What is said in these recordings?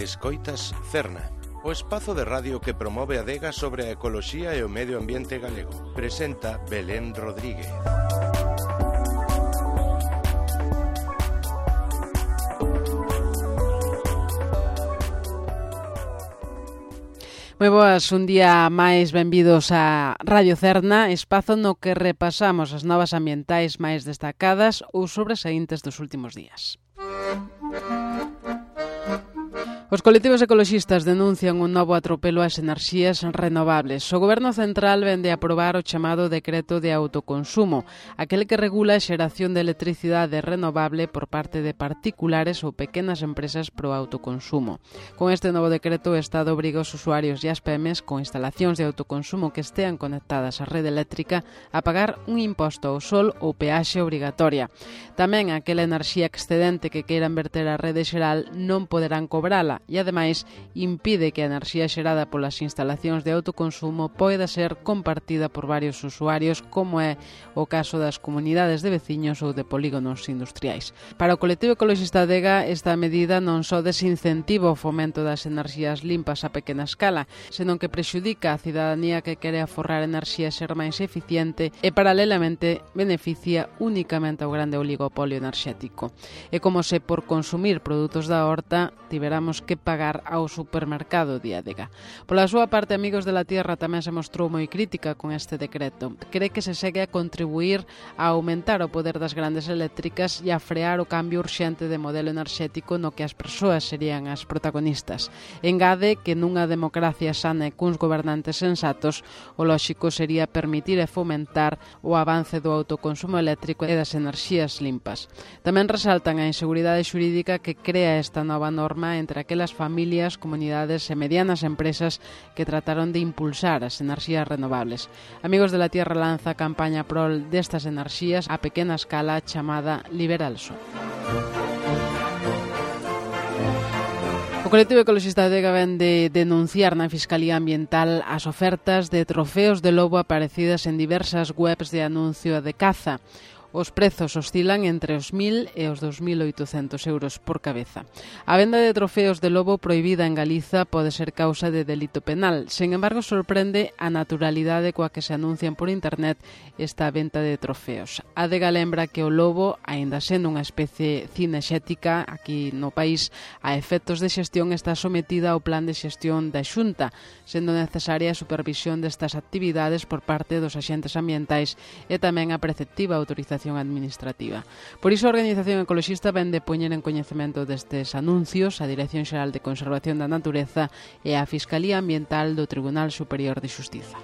Escoitas Cerna, o espazo de radio que promove a adega sobre a ecoloxía e o medio ambiente galego. Presenta Belén Rodríguez. Moi boas, un día máis benvidos a Radio Cerna, espazo no que repasamos as novas ambientais máis destacadas ou sobresaíntes dos últimos días. Os colectivos ecoloxistas denuncian un novo atropelo ás enerxías renovables. O Goberno Central vende a aprobar o chamado Decreto de Autoconsumo, aquel que regula a xeración de electricidade renovable por parte de particulares ou pequenas empresas pro autoconsumo. Con este novo decreto, o Estado obriga os usuarios e as PEMES con instalacións de autoconsumo que estean conectadas á rede eléctrica a pagar un imposto ao sol ou peaxe obrigatoria. Tamén aquela enerxía excedente que queiran verter á rede xeral non poderán cobrala, e ademais impide que a enerxía xerada polas instalacións de autoconsumo poida ser compartida por varios usuarios, como é o caso das comunidades de veciños ou de polígonos industriais. Para o colectivo ecoloxista Adega, esta medida non só desincentiva o fomento das enerxías limpas a pequena escala, senón que prexudica a cidadanía que quere aforrar enerxía e ser máis eficiente e paralelamente beneficia únicamente ao grande oligopolio enerxético. É como se por consumir produtos da horta tiveramos que pagar ao supermercado de Adega. Pola súa parte, Amigos de la Tierra tamén se mostrou moi crítica con este decreto. Cree que se segue a contribuir a aumentar o poder das grandes eléctricas e a frear o cambio urxente de modelo enerxético no que as persoas serían as protagonistas. Engade que nunha democracia sana e cuns gobernantes sensatos, o lóxico sería permitir e fomentar o avance do autoconsumo eléctrico e das enerxías limpas. Tamén resaltan a inseguridade xurídica que crea esta nova norma entre aquelas familias, comunidades e medianas empresas que trataron de impulsar as enerxías renovables. Amigos de la Tierra lanza a campaña prol destas enerxías a pequena escala chamada Liberal Sol. O colectivo ecoloxista Adega ven de denunciar na Fiscalía Ambiental as ofertas de trofeos de lobo aparecidas en diversas webs de anuncio de caza. Os prezos oscilan entre os 1.000 e os 2.800 euros por cabeza. A venda de trofeos de lobo prohibida en Galiza pode ser causa de delito penal. Sen embargo, sorprende a naturalidade coa que se anuncian por internet esta venta de trofeos. Adega lembra que o lobo, aínda sendo unha especie cinexética aquí no país, a efectos de xestión está sometida ao plan de xestión da Xunta, sendo necesaria a supervisión destas actividades por parte dos axentes ambientais e tamén a preceptiva autorización administrativa. Por iso a Organización Ecoloxista ven de poñer en coñecemento destes anuncios a Dirección Xeral de Conservación da Natureza e a Fiscalía Ambiental do Tribunal Superior de Xustiza.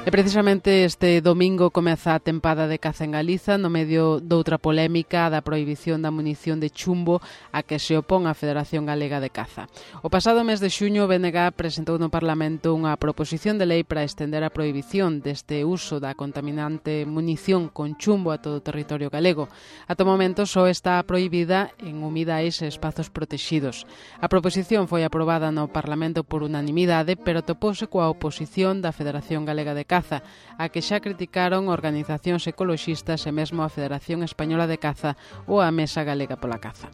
E precisamente este domingo comeza a tempada de caza en Galiza no medio doutra polémica da prohibición da munición de chumbo a que se opón a Federación Galega de Caza. O pasado mes de xuño, o BNG presentou no Parlamento unha proposición de lei para estender a prohibición deste uso da contaminante munición con chumbo a todo o territorio galego. Ata o momento só está prohibida en humidais e espazos protexidos. A proposición foi aprobada no Parlamento por unanimidade, pero topouse coa oposición da Federación Galega de Caza, a que xa criticaron organizacións ecoloxistas e mesmo a Federación Española de Caza ou a Mesa Galega pola Caza.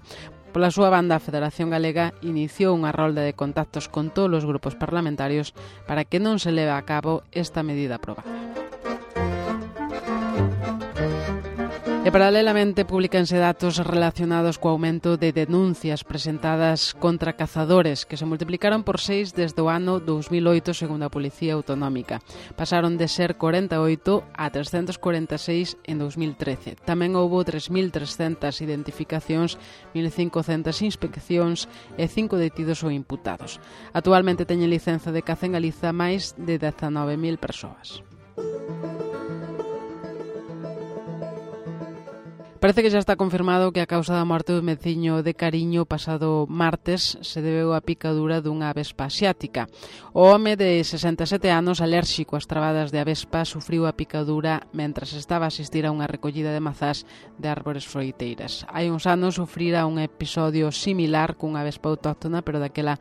Pola súa banda, a Federación Galega iniciou unha rolda de contactos con todos os grupos parlamentarios para que non se leve a cabo esta medida aprobada. E paralelamente publícanse datos relacionados co aumento de denuncias presentadas contra cazadores que se multiplicaron por 6 desde o ano 2008 segundo a Policía Autonómica. Pasaron de ser 48 a 346 en 2013. Tamén houbo 3.300 identificacións, 1.500 inspeccións e 5 detidos ou imputados. Actualmente teñen licenza de caza en Galiza máis de 19.000 persoas. Parece que xa está confirmado que a causa da morte do veciño de Cariño pasado martes se debeu á picadura dunha avespa asiática. O home de 67 anos, alérxico ás trabadas de avespa, sufriu a picadura mentras estaba a asistir a unha recollida de mazás de árbores froiteiras. Hai uns anos sufrira un episodio similar cunha avespa autóctona, pero daquela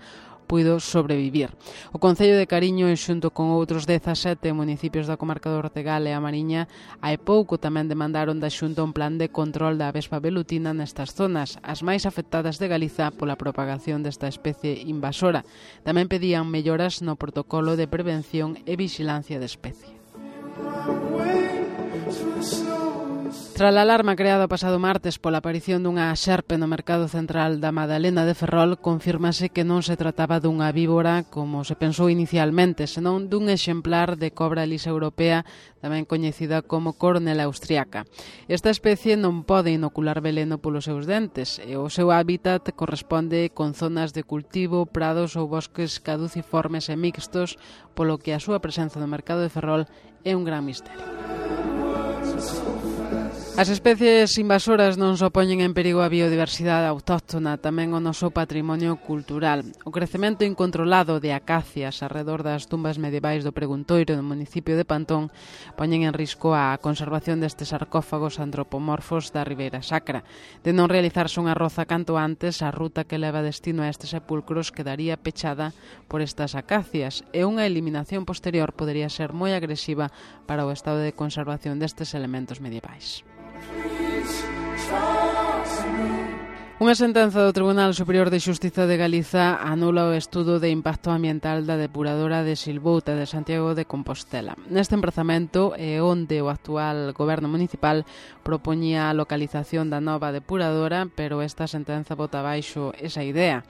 puido sobrevivir. O Concello de Cariño, xunto con outros 17 municipios da comarca do Ortegal e a Mariña, hai pouco tamén demandaron da Xunta un plan de control da avespa velutina nestas zonas, as máis afectadas de Galiza pola propagación desta especie invasora. Tamén pedían melloras no protocolo de prevención e vixilancia de especie. Tras a alarma creada o pasado martes pola aparición dunha xerpe no mercado central da Madalena de Ferrol, confírmase que non se trataba dunha víbora como se pensou inicialmente, senón dun exemplar de cobra lisa europea, tamén coñecida como coronela austriaca. Esta especie non pode inocular veleno polos seus dentes e o seu hábitat corresponde con zonas de cultivo, prados ou bosques caduciformes e mixtos, polo que a súa presenza no mercado de Ferrol é un gran misterio. As especies invasoras non só poñen en perigo a biodiversidade autóctona, tamén o noso patrimonio cultural. O crecemento incontrolado de acacias arredor das tumbas medievais do Preguntoiro no municipio de Pantón poñen en risco a conservación destes sarcófagos antropomorfos da Ribeira Sacra. De non realizarse unha roza canto antes, a ruta que leva destino a estes sepulcros quedaría pechada por estas acacias e unha eliminación posterior podería ser moi agresiva para o estado de conservación destes elementos medievais. Unha sentenza do Tribunal Superior de Xustiza de Galiza anula o estudo de impacto ambiental da depuradora de Silvouta de Santiago de Compostela. Neste emprazamento é onde o actual goberno municipal propoñía a localización da nova depuradora, pero esta sentenza bota abaixo esa idea.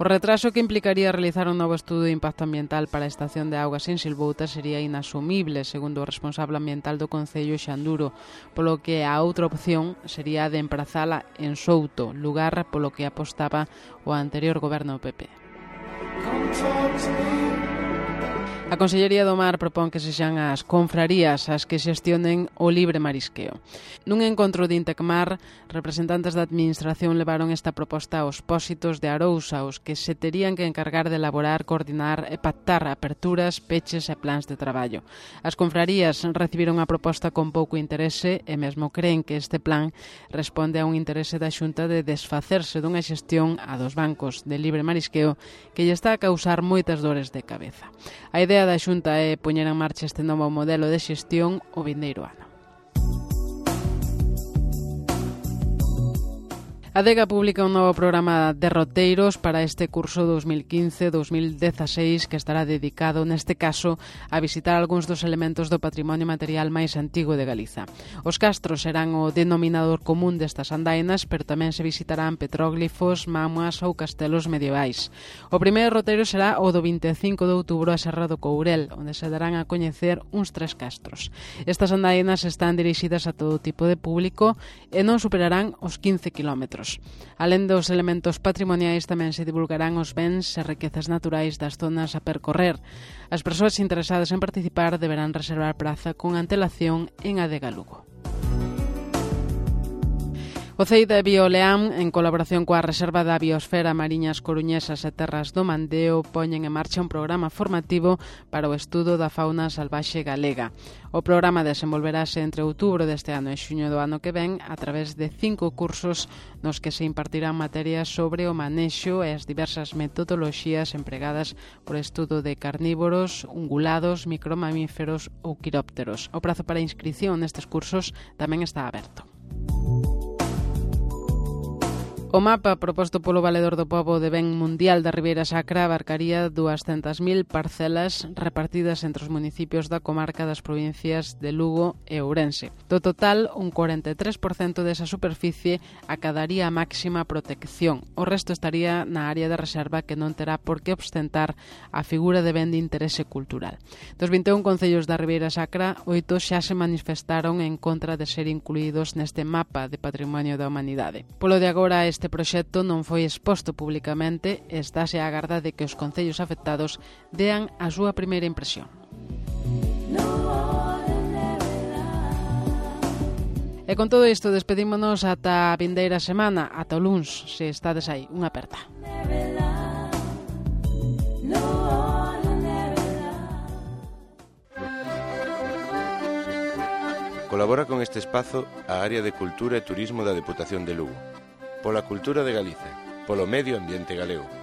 O retraso que implicaría realizar un novo estudo de impacto ambiental para a estación de augas en Silvouta sería inasumible, segundo o responsable ambiental do Concello Xanduro, polo que a outra opción sería de emprazala en Souto, lugar polo que apostaba o anterior goberno PP. A Consellería do Mar propón que sexan as confrarías as que xestionen o libre marisqueo. Nun encontro de Intecmar, representantes da Administración levaron esta proposta aos pósitos de Arousa, os que se terían que encargar de elaborar, coordinar e pactar aperturas, peches e plans de traballo. As confrarías recibiron a proposta con pouco interese e mesmo creen que este plan responde a un interese da Xunta de desfacerse dunha xestión a dos bancos de libre marisqueo que lle está a causar moitas dores de cabeza. A idea da Xunta é poñer en marcha este novo modelo de xestión o vindeiro ano. A Adega publica un novo programa de roteiros para este curso 2015-2016 que estará dedicado, neste caso, a visitar algúns dos elementos do patrimonio material máis antigo de Galiza. Os castros serán o denominador común destas andainas, pero tamén se visitarán petróglifos, mámoas ou castelos medievais. O primeiro roteiro será o do 25 de outubro a Serra do Courel, onde se darán a coñecer uns 3 castros. Estas andainas están dirixidas a todo tipo de público e non superarán os 15 kilómetros. Alén dos elementos patrimoniais, tamén se divulgarán os bens e riquezas naturais das zonas a percorrer. As persoas interesadas en participar deberán reservar praza con antelación en Adega Lugo. O CEI de Bioleam, en colaboración coa Reserva da Biosfera Mariñas Coruñesas e Terras do Mandeo, poñen en marcha un programa formativo para o estudo da fauna salvaxe galega. O programa desenvolverase entre outubro deste ano e xuño do ano que ven a través de 5 cursos nos que se impartirán materias sobre o manexo e as diversas metodoloxías empregadas por estudo de carnívoros, ungulados, micromamíferos ou quirópteros. O prazo para inscrición nestes cursos tamén está aberto. O mapa proposto polo Valedor do Pobo de Ben Mundial da Ribeira Sacra abarcaría 200.000 parcelas repartidas entre os municipios da comarca das provincias de Lugo e Ourense. Do total, un 43% desa superficie acadaría a máxima protección. O resto estaría na área de reserva que non terá por que ostentar a figura de ben de interese cultural. Dos 21 concellos da Ribeira Sacra, 8 xa se manifestaron en contra de ser incluídos neste mapa de patrimonio da humanidade. Polo de agora, este proxecto non foi exposto publicamente e estáse á agarda de que os concellos afectados dean a súa primeira impresión. E con todo isto despedímonos ata a vindeira semana, ata o luns, se estades aí. Unha aperta. Colabora con este espazo a Área de Cultura e Turismo da Deputación de Lugo. Pola cultura de Galicia, polo medio ambiente galego.